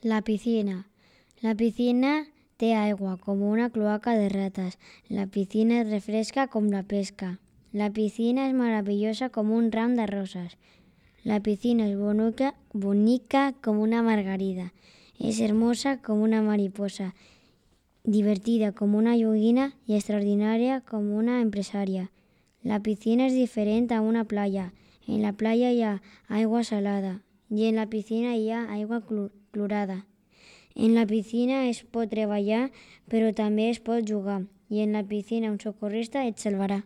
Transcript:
La piscina. La piscina té aigua, com una cloaca de rates. La piscina és refresca com la pesca. La piscina és meravellosa com un ram de roses. La piscina és bonica com una margarida. És hermosa com una mariposa, divertida com una joguina i extraordinària com una empresària. La piscina és diferent a una playa. En la playa hi ha aigua salada i en la piscina hi ha aigua clorada. En la piscina es pot treballar, però també es pot jugar, i en la piscina un socorrista et salvarà.